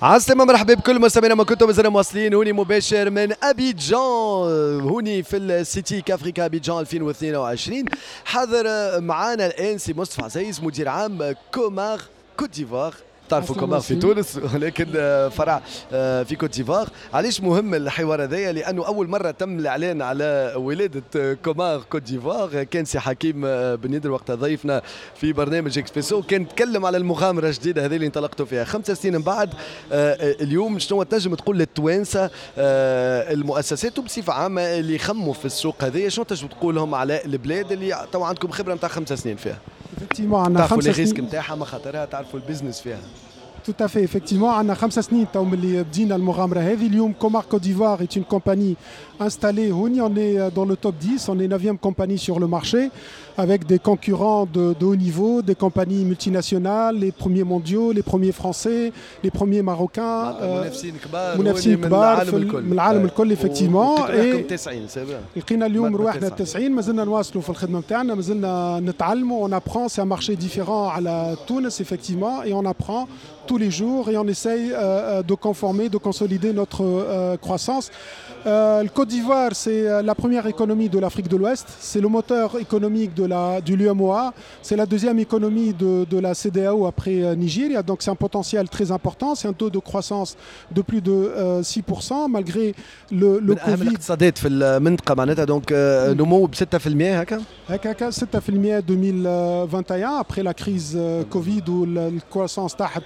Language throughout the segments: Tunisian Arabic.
عسلامة، مرحبا بكل مستمعينا ما كنتم، مازلنا مواصلين هوني مباشر من ابيجان، هوني في ال SITIC Africa ابيجان 2022. حاضر معانا الان سي مصطفى عزيز، مدير عام Comar Côte d'Ivoire. تعرفوا Comar في تونس، ولكن فرع في كوت ديفوار. علاش مهم الحوار هذايا؟ لانه اول مرة تم الاعلان على ولاده Comar Côte d'Ivoire كان سي حكيم بن يدر وقتها ضيفنا في برنامج اكسبريسو، كان تكلم على المغامرة الجديدة هذه اللي انطلقتوا فيها. 5 سنين من بعد اليوم، شنو تنجم تقول للتوانسه، المؤسسات وبصفه عامة اللي يخموا في السوق هذايا، شنو تنجم تقول لهم على البلاد اللي تو عندكم خبره نتاع 5 سنين فيها؟ Effectivement، عندنا تعرفوا 5 les risques سنين. نتاعها، مخاطرها، تعرفوا ال business فيها. Tout à fait, effectivement, عندنا 5 سنين تو من اللي بدينا المغامرة هذه. اليوم Comar Côte d'Ivoire est une compagnie installée هوني، on est dans le top 10, on est 9e compagnie sur le marché avec des concurrents de haut niveau, des compagnies multinationales, les premiers mondiaux, les premiers français, les premiers marocains. منافسين كبار. منافسين من كبار العالم في الكل. من العالم الكل effectivement. et 90 c'est bien. لقينا اليوم مرتبة رواحنا 9. 90. مازلنا نواصلوا في الخدمة نتاعنا، مازلنا نتعلموا، on apprend، c'est un marché différent على تونس effectivement، et on apprend tous les jours et on essaye de conformer, de consolider notre croissance. Le Côte d'Ivoire, c'est la première économie de l'Afrique de l'Ouest, c'est le moteur économique de l'UEMOA, c'est la deuxième économie de la CEDEAO après Nigeria, donc c'est un potentiel très important, c'est un taux de croissance de plus de 6% malgré le من اهم Covid. الاقتصادات في المنطقة معناتها، donc نمو ب 6% هكا. هكاك 6% 2021 après la crise Covid où la croissance طاحت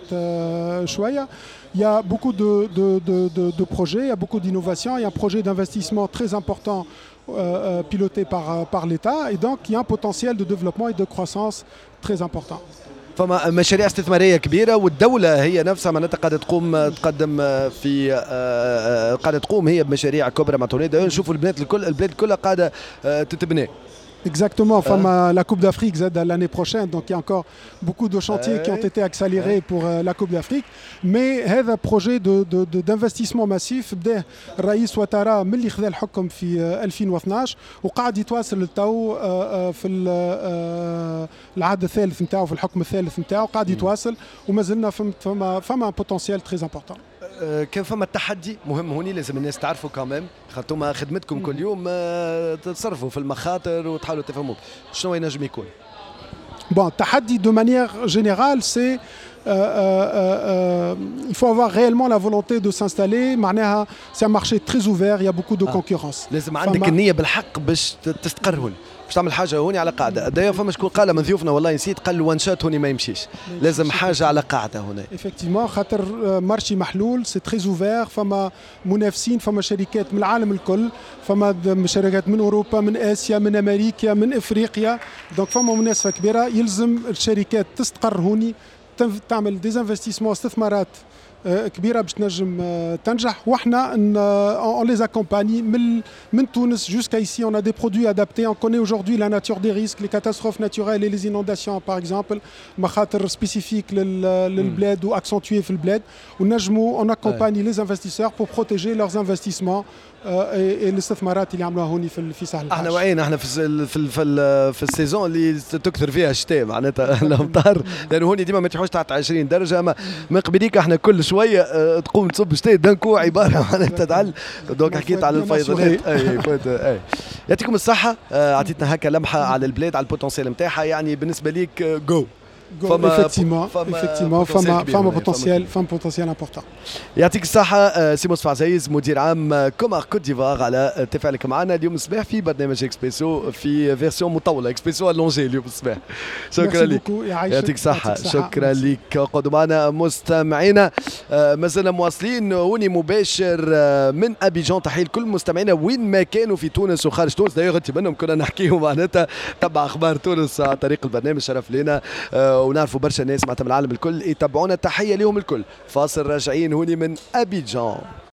شوية. Il y a beaucoup de projets, il y a beaucoup d'innovations, il y a un projet d'investissement très important piloté par l'État et donc il y a un potentiel de développement et de croissance très important. فما مشاريع استثمارية كبيره، والدولة هي نفسها معناتها قاعدة تقوم تقدم في قاعدة تقوم هي بمشاريع كبرى معناتها. نشوفوا البلاد الكل، البلاد كلها قاعدة تتبنى. Exactement, enfin, la Coupe d'Afrique زادة l'année prochaine, donc il y a encore beaucoup de chantiers qui ont été accélérés pour la Coupe d'Afrique. Mais هذا projet d'investissement massif بداه الرئيس واتارا من اللي خذا الحكم في 2012 وقاعد يتواصل للتو في العهد الثالث نتاعو، في الحكم الثالث نتاعو، قاعد يتواصل وما زلنا فما potentiel très important. كان فما تحدي مهم هوني لازم الناس تعرفوا quand même، خاطر خدمتكم كل يوم تتصرفوا في المخاطر وتحاولوا تفهموا، شنو ينجم يكون؟ Bon, تحدي de manière générale, c'est il faut avoir réellement la volonté de s'installer. معناها c'est un marché très ouvert, il y a beaucoup de concurrence. لازم عندك النية بالحق باش تستقر هون، باش تعمل حاجة هوني على قاعدة. d'ailleurs فما شكون قال من ضيوفنا، والله نسيت، قال one shot هوني ما يمشيش، لازم حاجة على قاعدة هنا. Effectivement، خاطر marché محلول، c'est très ouvert، فما منافسين، فما شركات من العالم الكل، فما شركات من اوروبا، من اسيا، من امريكا، من افريقيا، donc فما منافسه كبيره. يلزم الشركات تستقر هوني، تعمل des investissements، استثمارات كبيرة باش تنجم تنجح. واحنا on les accompagne من تونس jusqu'à ici، on a des produits adaptés، on connaît aujourd'hui la nature des risques، les catastrophes naturelles et les inondations par exemple، مخاطر spécifiques للبلاد و accentuées في البلاد، ونجموا on accompagne les investisseurs pour protéger leurs investissements et الاستثمارات اللي عملوها هوني في ساحل. احنا وعينا، احنا في ال saison اللي تكثر فيها الشتاء، معناتها الامطار، لانه هوني ديما ما تحوش تحت 20 درجه، اما من قبليك احنا كل شوية تقوم تصب شتاء d'un coup، عبارة معناتها تعل. donc حكيت على الفيضانات، اي يعطيكم الصحه، اعطيتنا هكا لمحه على البلاد، على ال potentiel نتاعها. يعني بالنسبة ليك go. فما effectivement، effectivement فما potentiel important. يعطيك الصحة سي مصطفى عزيز، مدير عام Comar Côte d'Ivoire، على تفاعلك معنا اليوم الصباح في برنامج اكسبريسو في version مطولة، اكسبريسو allongé اليوم الصباح. شكرا لك، يعطيك الصحة، شكرا لك. قعدوا معنا مستمعينا، مازلنا مواصلين هوني مباشر من ابيجان. تحية لكل مستمعينا وين ما كانوا في تونس وخارج تونس. d'ailleurs انت منهم، كنا نحكيو معناتها تبع اخبار تونس عن طريق البرنامج، شرف لنا، ونعرفوا برشا ناس معناتها من العالم الكل يتبعونا، تحية لهم الكل. فاصل، راجعين هوني من ابيجان.